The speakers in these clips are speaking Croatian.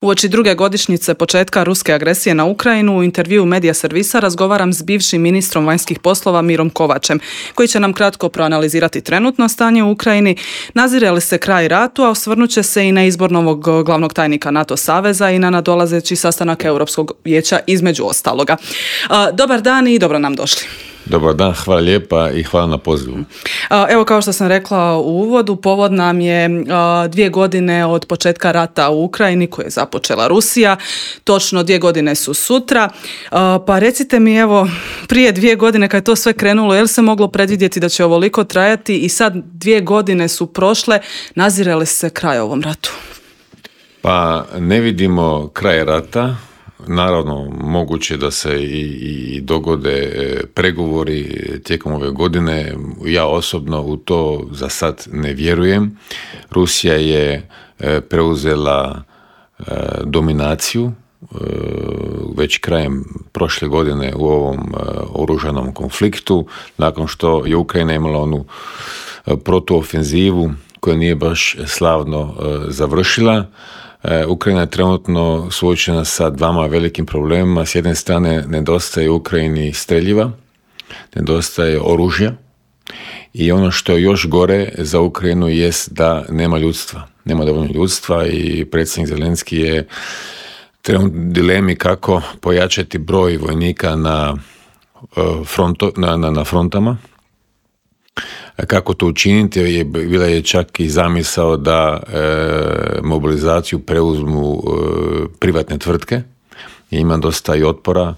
Uoči druge godišnjice početka ruske agresije na Ukrajinu u intervjuu Medija servisa razgovaram s bivšim ministrom vanjskih poslova Mirom Kovačem, koji će nam kratko proanalizirati trenutno stanje u Ukrajini, nazire li se kraj ratu, a osvrnut će se i na izbor novog glavnog tajnika NATO saveza i na nadolazeći sastanak Europskog vijeća između ostaloga. Dobar dan i dobro nam došli. Dobar dan, hvala lijepa i hvala na pozivu. Evo, kao što sam rekla u uvodu, povod nam je 2 godine od početka rata u Ukrajini koje je započela Rusija. Točno 2 godine su sutra. Pa recite mi, evo, prije 2 godine kad je to sve krenulo, je li se moglo predvidjeti da će ovoliko trajati i sad 2 godine su prošle, nazire li se kraj ovom ratu? Pa ne vidimo kraj rata. Naravno, moguće da se i dogode pregovori tijekom ove godine. Ja osobno u to za sad ne vjerujem. Rusija je preuzela dominaciju već krajem prošle godine u ovom oružanom konfliktu, nakon što je Ukrajina imala onu protuofenzivu koja nije baš slavno završila. Ukrajina je trenutno suočena sa 2 velikim problemima. S jedne strane nedostaje Ukrajini streljiva, nedostaje oružja i ono što je još gore za Ukrajinu jest da nema ljudstva. Nema dovoljno ljudstva i predsjednik Zelenski je trenutno u dilemi kako pojačati broj vojnika na frontama. Kako to učiniti? Bila je čak i zamisao da mobilizaciju preuzmu privatne tvrtke. Ima dosta i otpora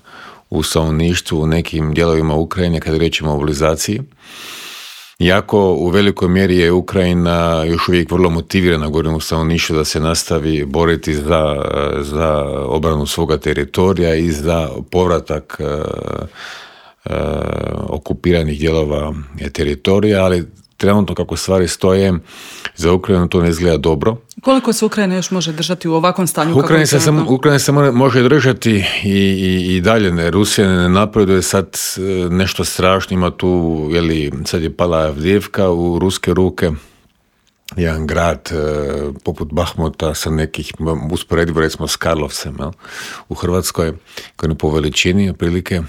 u stanovništvu u nekim dijelovima Ukrajine kada je riječ o mobilizaciji. Iako u velikoj mjeri je Ukrajina još uvijek vrlo motivirana, govorim u stanovništvu, da se nastavi boriti za obranu svoga teritorija i za povratak okupiranih dijelova teritorija, ali trenutno kako stvari stoje, za Ukrajinu to ne izgleda dobro. Koliko se Ukrajina još može držati u ovakvom stanju? Ukrajina se može držati i dalje. Rusija ne napreduje sad nešto strašno, ima tu, sad je pala Avdijevka u ruske ruke, jedan grad poput Bahmuta sa nekih, usporedivo recimo s Karlovcem, u Hrvatskoj, koji je po veličini otprilike.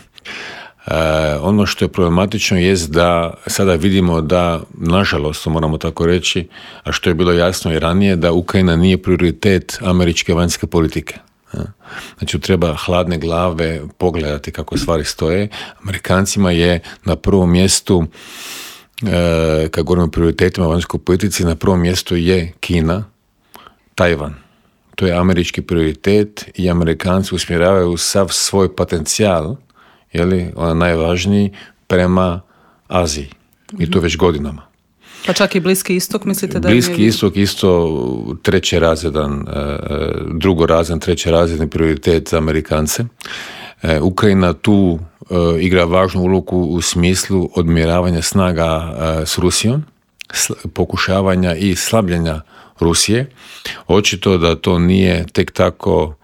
Ono što je problematično jest da sada vidimo da, nažalost, moramo tako reći, a što je bilo jasno i ranije, da Ukrajina nije prioritet američke vanjske politike. Znači, treba hladne glave pogledati kako stvari stoje. Amerikancima je na prvom mjestu, kad govorimo o prioritetima vanjskoj politici, na prvom mjestu je Kina, Tajvan. To je američki prioritet i Amerikanci usmjeravaju sav svoj potencijal, ona najvažniji, prema Aziji. I to već godinama. Pa čak i Bliski istok, mislite da je... Bliski istok isto drugorazredan, trećerazredni prioritet za Amerikance. Ukrajina tu igra važnu ulogu u smislu odmjeravanja snaga s Rusijom, pokušavanja i slabljenja Rusije. Očito da to nije tek tako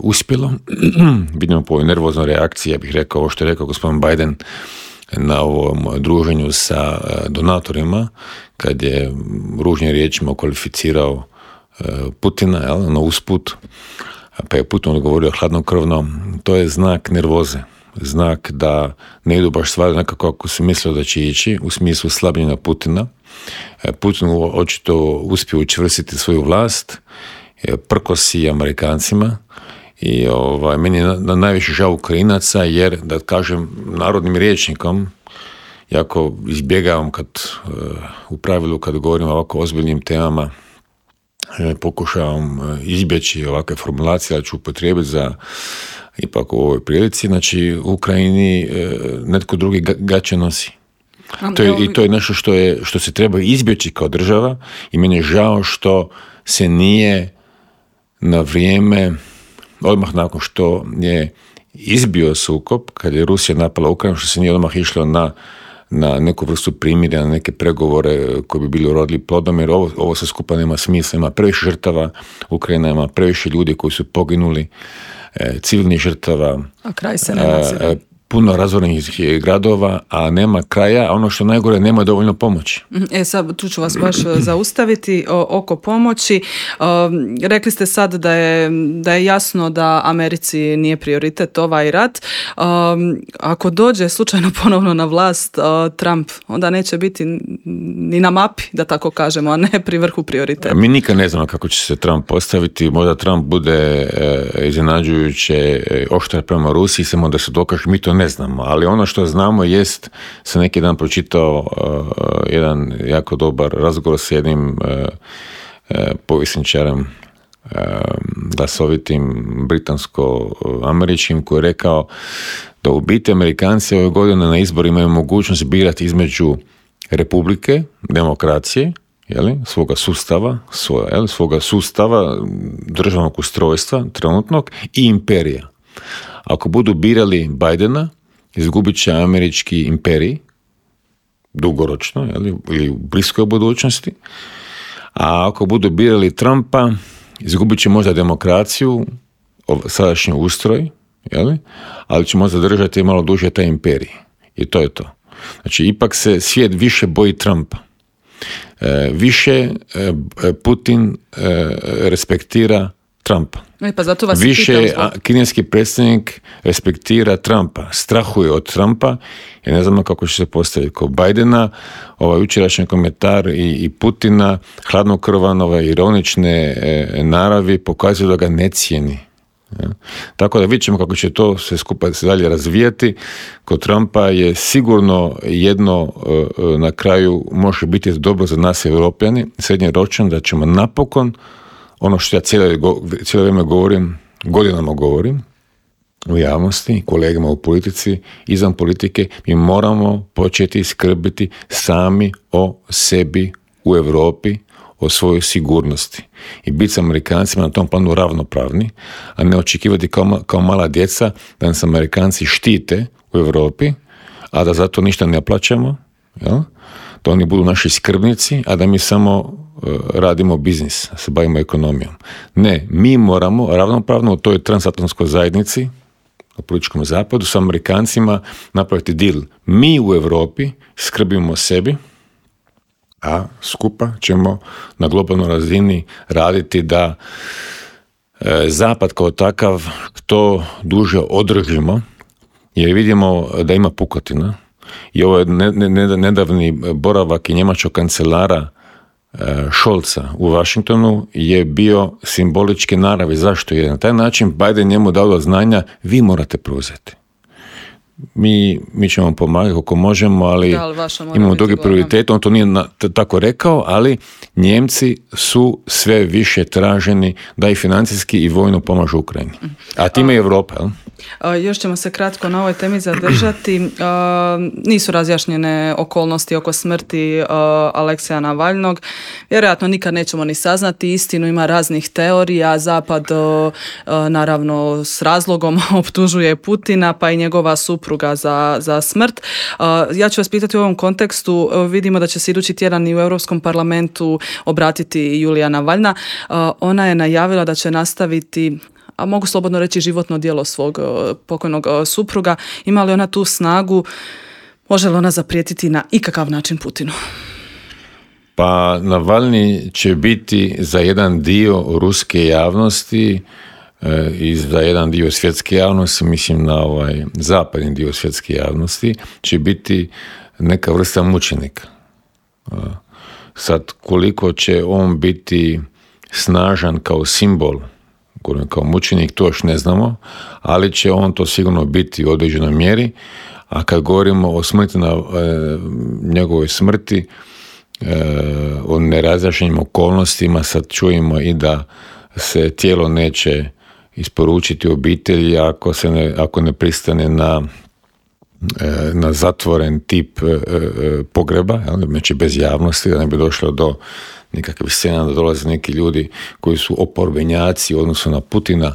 uspjelo. Vidimo po ovoj nervoznoj reakciji, ja bih rekao ovo što je rekao gospodin Biden na ovom druženju sa donatorima, kad je ružnim riječima kvalificirao Putina, na usput, pa je Putin odgovorio hladnokrvno. To je znak nervoze, znak da ne idu baš stvari nekako kako se mislilo da će ići, u smislu slabljenja Putina. Putin očito uspio učvrstiti svoju vlast, prkosi Amerikancima i meni je najviše žao Ukrajinaca, jer, da kažem narodnim rječnikom, jako izbjegavam u pravilu kad govorim o ovako ozbiljnim temama, pokušavam izbjeći ovakve formulacije, ali ću upotrijebiti za ipak u ovoj prilici. Znači, u Ukrajini netko drugi gaće nosi. I to je nešto što se treba izbjeći kao država i meni je žao što se nije na vrijeme, odmah nakon što je izbio sukob, kad je Rusija napala Ukrajinu, što se nije odmah išlo na neku vrstu primirja, na neke pregovore koji bi bili urodili plodom, jer ovo sve skupa nema smisla, ima previše žrtava, Ukrajina ima previše ljudi koji su poginuli, civilnih žrtava, a kraj se ne nazire. puno razvorenih gradova, a nema kraja, a ono što najgore, nema dovoljno pomoći. Sad tu ću vas baš zaustaviti oko pomoći. Rekli ste sad da je jasno da Americi nije prioritet ovaj rat. Ako dođe slučajno ponovno na vlast Trump, onda neće biti ni na mapi, da tako kažemo, a ne pri vrhu prioriteta. Mi nikad ne znamo kako će se Trump postaviti. Možda Trump bude iznenađujuće oštar prema Rusiji, samo da se dokaže, mi to ne znamo. Ali ono što znamo jest, sam neki dan pročitao jedan jako dobar razgovor s jednim povjesničarem glasovitim britansko-američkim, koji je rekao da u biti Amerikanci ove godine na izborima imaju mogućnost birati između republike, demokracije, svoga sustava, državnog ustrojstva trenutnog i imperija. Ako budu birali Bidena, izgubit će američki imperij dugoročno, ili u bliskoj budućnosti, a ako budu birali Trumpa, izgubit će možda demokraciju, sadašnji ustroj, ali će možda držati malo duže taj imperij. I to je to. Znači, ipak se svijet više boji Trumpa. Više Putin respektira Trumpa. Pa zato vas više kineski predsjednik respektira Trumpa, strahuje od Trumpa i ne znamo kako će se postaviti. Kod Bidena, jučerašnji komentar i Putina, hladnokrvan, ironične naravi pokazuju da ga ne cijeni. Tako da vidjet ćemo kako će to sve skupa se dalje razvijati. Kod Trumpa je sigurno jedno na kraju može biti dobro za nas Europljani, srednjoročno, da ćemo napokon ono što ja cijelo vrijeme godinama govorim u javnosti, kolegama u politici, izvan politike, mi moramo početi skrbiti sami o sebi u Europi, o svojoj sigurnosti i biti s Amerikancima na tom planu ravnopravni, a ne očekivati kao mala djeca da nas Amerikanci štite u Europi, a da zato ništa ne plaćamo, da oni budu naši skrbnici, a da mi samo radimo biznis, se bavimo ekonomijom. Ne, mi moramo ravnopravno u toj transatlantskoj zajednici, u političkom zapadu, s Amerikancima napraviti deal. Mi u Europi skrbimo o sebi, a skupa ćemo na globalnoj razini raditi da zapad kao takav to duže održimo, jer vidimo da ima pukotina. I ovo je nedavni boravak i njemačkog kancelara Scholza u Washingtonu je bio simboličke naravi. Zašto? Jer na taj način Biden njemu dao do znanja, vi morate preuzeti. Mi ćemo pomagati kako možemo, ali imamo drugi prioritet. On to nije tako rekao, ali Njemci su sve više traženi da i financijski i vojno pomažu Ukrajini. A time i Europa, jel? Još ćemo se kratko na ovoj temi zadržati. Nisu razjašnjene okolnosti oko smrti Alekseja Navalnog. Vjerojatno nikad nećemo ni saznati istinu, ima raznih teorija. Zapad naravno s razlogom optužuje Putina, pa i njegova supruga za smrt. Ja ću vas pitati u ovom kontekstu, vidimo da će se idući tjedan i u Europskom parlamentu obratiti Julija Navalna. Ona je najavila da će nastaviti, a mogu slobodno reći, životno djelo svog pokojnog supruga. Ima li ona tu snagu? Može li ona zaprijetiti na ikakav način Putinu? Pa Navalni će biti za jedan dio ruske javnosti i za jedan dio svjetske javnosti, mislim na zapadni dio svjetske javnosti, će biti neka vrsta mučenika. Sad, koliko će on biti snažan kao simbol, kao mučenik, to još ne znamo, ali će on to sigurno biti u određenoj mjeri. A kad govorimo o smrti, njegovoj smrti, o nerazjašnjenim okolnostima, sad čujemo i da se tijelo neće isporučiti obitelji ako ne pristane na zatvoren tip pogreba, znači bez javnosti, da ne bi došlo do nekakvih scena, da dolaze neki ljudi koji su oporbenjaci u odnosu na Putina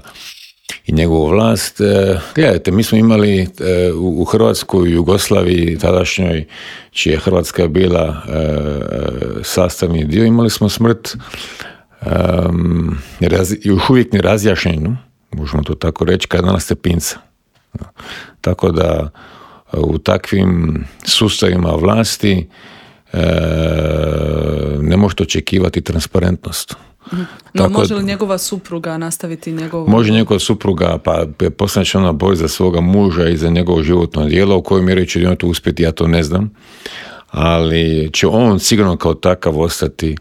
i njegovu vlast. Gledajte, mi smo imali u Hrvatskoj i Jugoslaviji tadašnjoj, čija Hrvatska je bila sastavni dio, imali smo smrt još uvijek nerazjašnjenu, možemo to tako reći, kardinala Stepinca. Tako da u takvim sustavima vlasti ne možete očekivati transparentnost. No, može li njegova supruga nastaviti njegovo... Može njegova supruga, pa poslije će ona bori za svoga muža i za njegovo životno djelo, u kojoj mjeri će on to uspjeti, ja to ne znam, ali će on sigurno kao takav ostati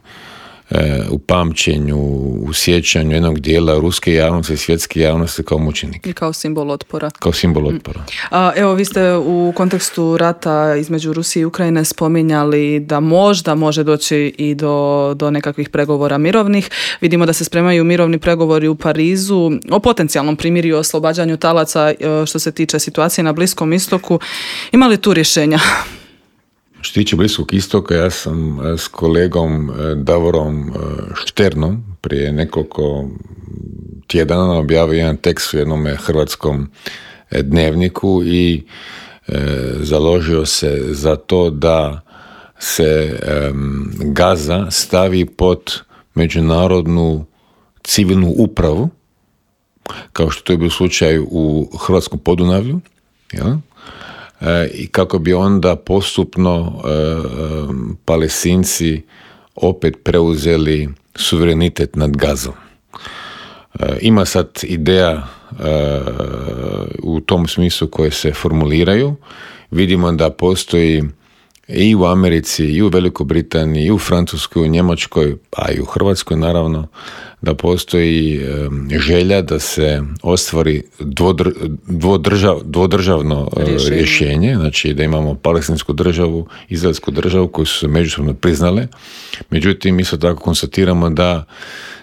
u pamćenju, u sjećanju jednog dijela ruske javnosti i svjetske javnosti kao mučenik. I kao simbol otpora. Kao simbol otpora. Evo, vi ste u kontekstu rata između Rusije i Ukrajine spominjali da možda može doći i do nekakvih pregovora mirovnih. Vidimo da se spremaju mirovni pregovori u Parizu o potencijalnom primirju i oslobađanju talaca što se tiče situacije na Bliskom istoku. Ima li tu rješenja? Što tiče Bliskog istoka, ja sam s kolegom Davorom Šternom prije nekoliko tjedana objavio jedan tekst u jednom hrvatskom dnevniku i založio se za to da se Gaza stavi pod međunarodnu civilnu upravu, kao što to je bio slučaj u Hrvatskom Podunavlju, jel? I kako bi onda postupno Palestinci opet preuzeli suverenitet nad Gazom. Ima sad ideja u tom smislu koje se formuliraju. Vidimo da postoji i u Americi, i u Velikoj Britaniji, i u Francuskoj, i u Njemačkoj, a i u Hrvatskoj naravno, da postoji želja da se ostvari dvodržavno rješenje, znači da imamo palestinsku državu, izraelsku državu koju su se međusobno priznale. Međutim, isto tako konstatiramo da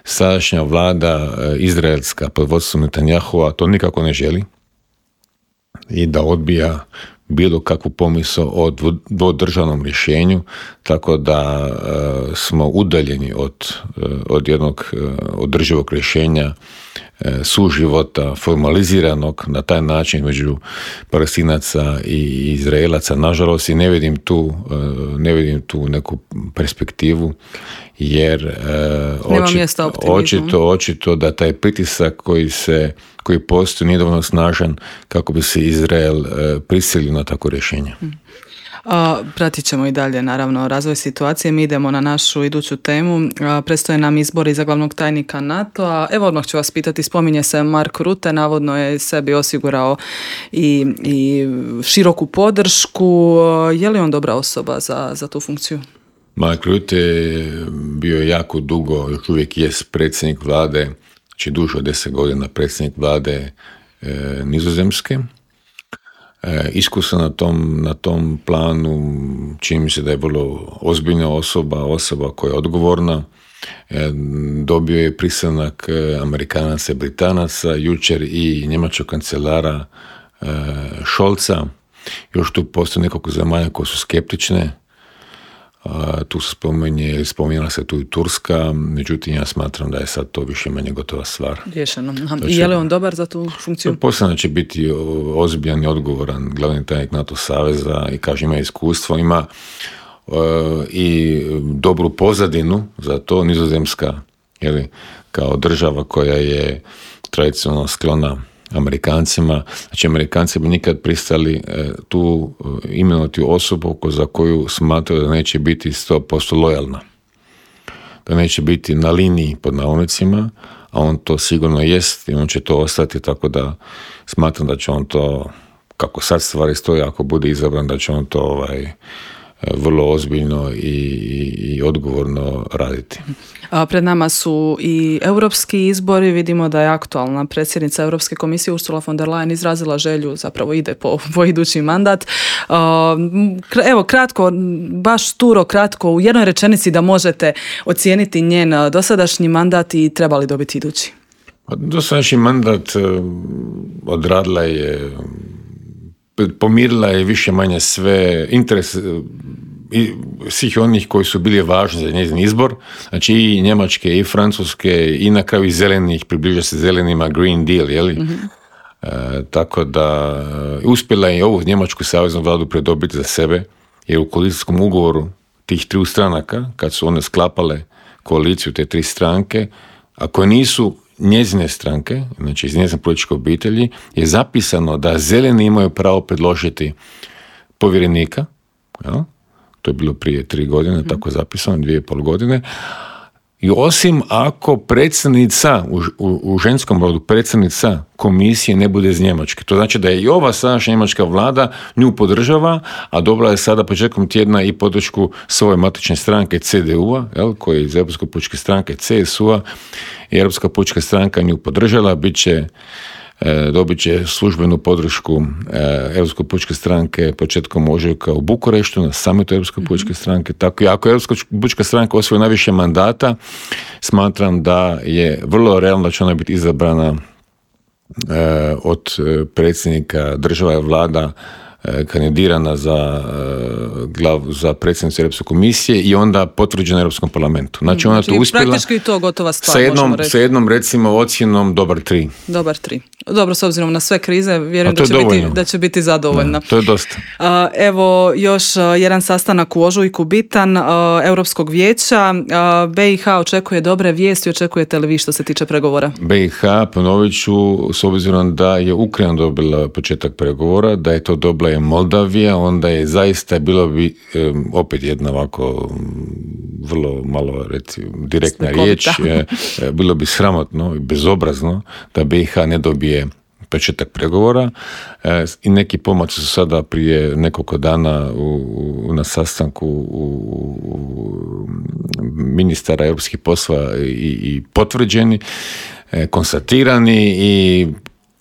sadašnja vlada izraelska pod vodstvom Netanjahua to nikako ne želi i da odbija bilo kakvu pomisao o dvodržavnom rješenju, tako da smo udaljeni od jednog održivog rješenja suživota formaliziranog na taj način među Palestinaca i Izraelaca. Nažalost, i ne vidim tu neku perspektivu, jer očito da taj pritisak koji postoji nije dovoljno snažan kako bi se Izrael prisilio na takvo rješenje. Pratit ćemo i dalje naravno razvoj situacije. Mi idemo na našu iduću temu. Predstoje nam izbori za glavnog tajnika NATO-a. Evo, odmah ću vas pitati, spominje se Mark Rutte, navodno je sebi osigurao i široku podršku. Je li on dobra osoba za tu funkciju? Mark Rutte je bio jako dugo, još uvijek jest predsjednik vlade, znači duže od 10 godina predsjednik vlade Nizozemske. Iskusan na tom planu, čini mi se da je vrlo ozbiljna osoba koja je odgovorna. Dobio je pristanak Amerikanaca i Britanaca, jučer i njemačkog kancelara Scholza. Još tu postoje nekoliko zemalja koje su skeptične. Tu se spominjala se tu i Turska, međutim ja smatram da je sad to više manje gotova stvar. Rješeno. I je li on dobar za tu funkciju? Posljedno će biti ozbiljan i odgovoran glavni tajnik NATO saveza i kaže ima iskustvo, ima i dobru pozadinu za to. Nizozemska, kao država koja je tradicionalno sklona Amerikancima, znači Amerikanci bi nikad pristali tu imenovati osobu za koju smatraju da neće biti 100% lojalna, da neće biti na liniji pod navodnicima, a on to sigurno jest i on će to ostati, tako da smatram da će on to, kako sad stvari stoje, ako bude izabran, da će on to vrlo ozbiljno i odgovorno raditi. Pred nama su i europski izbori. Vidimo da je aktualna predsjednica Europske komisije Ursula von der Leyen izrazila želju, zapravo ide po idući mandat. Evo, kratko, baš kratko, u jednoj rečenici da možete ocijeniti njen dosadašnji mandat i treba li dobiti idući? Dosadašnji mandat odradila je, pomirila je više manje sve interese svih onih koji su bili važni za njezin izbor, znači i Njemačke i Francuske i na kraju i zelenih, približa se zelenima Green Deal, tako da uspjela je ovu Njemačku saveznu vladu predobiti za sebe, jer u koalicijskom ugovoru tih triju stranaka, kad su one sklapale koaliciju, te tri stranke, a koje nisu njezine stranke, znači iz njezine političke obitelji, je zapisano da zeleni imaju pravo predložiti povjerenika, jel? To je bilo prije 3 godine, tako je zapisano, 2,5 godine, i osim ako predsjednica, u ženskom rodu predsjednica komisije ne bude iz Njemačke. To znači da je i ova sadašnja njemačka vlada nju podržava, a dobila je sada početkom tjedna i podršku svoje matične stranke CDU-a, koja je iz Europske pučke stranke CSU-a, i Europska pučka stranka nju podržala, dobit će službenu podršku Europske pučke stranke početkom ožujka u Bukureštu na summitu Europske pučke stranke. Tako i ako Europska pučka stranka osvoji najviše mandata, smatram da je vrlo realno da će ona biti izabrana od predsjednika država i vlada, kandidirana za predsjednicu Europske komisije i onda potvrđena Europskom parlamentu. Znači ona to uspjela. Praktički to gotova stvar, možemo reći. Sa jednom recimo ocjenom dobar 3. Dobar 3. Dobro, s obzirom na sve krize, vjerujem da će biti zadovoljna. To je dosta. Evo još jedan sastanak u ožujku bitan Europskog vijeća. BiH očekuje dobre vijesti, očekujete li vi što se tiče pregovora? BiH, ponovit ću, s obzirom da je Ukrajina dobila početak pregovora, da je to dobila je Moldavija, onda je zaista bilo bi opet jedna ovako vrlo malo direktna riječ, bilo bi sramotno i bezobrazno da BiH ne dobije početak pregovora i neki pomaci su sada prije nekoliko dana na sastanku ministara europskih poslova i potvrđeni, konstatirani, i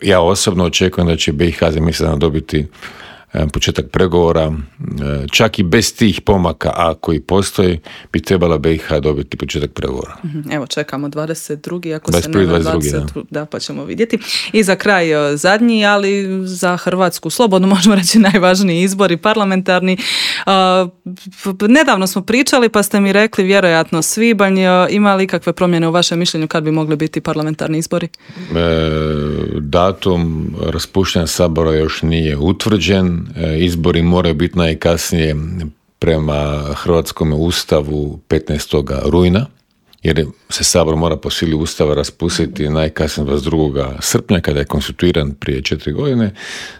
ja osobno očekujem da će BiH za mjesec dana dobiti početak pregovora, čak i bez tih pomaka, a koji postoji, bi trebala BiH dobiti početak pregovora. Evo, čekamo 22. ako se ne 20, da, pa ćemo vidjeti. I za kraj zadnji, ali za Hrvatsku slobodno možemo reći najvažniji izbori parlamentarni. Nedavno smo pričali, pa ste mi rekli vjerojatno svibanj. Ima li ikakve promjene u vašem mišljenju kad bi mogli biti parlamentarni izbori? Datum raspuštanja Sabora još nije utvrđen. Izbori moraju biti najkasnije prema Hrvatskom ustavu 15. rujna, jer se Sabor mora po sili ustava raspustiti najkasnije 22. srpnja kada je konstituiran prije 4 godine,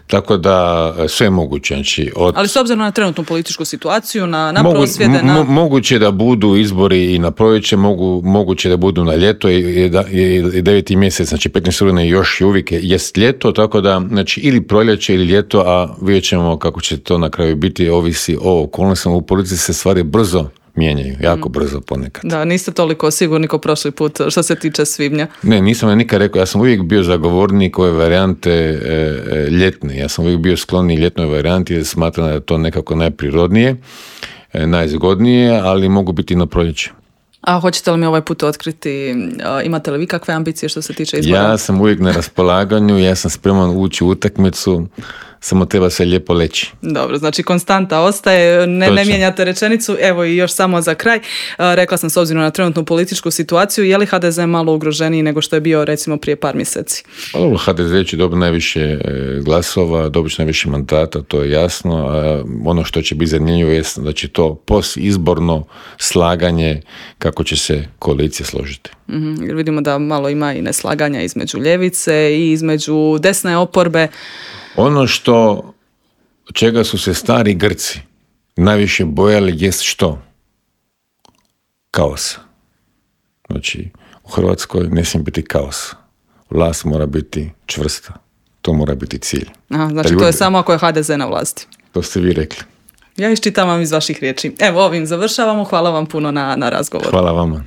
tako da sve je moguće. Znači, ali s obzirom na trenutnu političku situaciju, na prosvjede... Moguće da budu izbori i na proljeće, moguće da budu na ljeto i 9. mjesec, znači 15. rujna još uvijek jest ljeto, tako da znači, ili proljeće ili ljeto, a vidjet ćemo kako će to na kraju biti, ovisi o okolnostima. U politici se stvari brzo mijenjaju, jako brzo ponekad. Da, niste toliko sigurni kao prošli put što se tiče svibnja. Ne, nisam nikad rekao, ja sam uvijek bio zagovornik ove varijante ljetne. Ja sam uvijek bio skloniji ljetnoj varijanti jer smatram da je to nekako najprirodnije, najzgodnije, ali mogu biti i na proljeće. A hoćete li mi ovaj put otkriti, imate li vi kakve ambicije što se tiče izbora? Ja sam uvijek na raspolaganju, ja sam spreman ući u utakmicu, samo treba se lijepo leći. Dobro, znači konstanta ostaje, ne mijenjate rečenicu. Evo i još samo za kraj. Rekla sam s obzirom na trenutnu političku situaciju, je li HDZ malo ugroženiji nego što je bio recimo prije par mjeseci? HDZ će dobiti najviše glasova, dobit će najviše mandata, to je jasno. Ono što će biti zanimljivo je da će to postizborno slaganje kako će se koalicija složiti. Jer vidimo da malo ima i neslaganja između ljevice i između desne oporbe. Ono čega su se stari Grci najviše bojali jest što? Kaos. Znači, u Hrvatskoj ne smije biti kaos. Vlast mora biti čvrsta. To mora biti cilj. Aha, znači to je samo ako je HDZ na vlasti. To ste vi rekli. Ja iščitavam iz vaših riječi. Evo, ovim završavamo. Hvala vam puno na razgovoru. Hvala vama.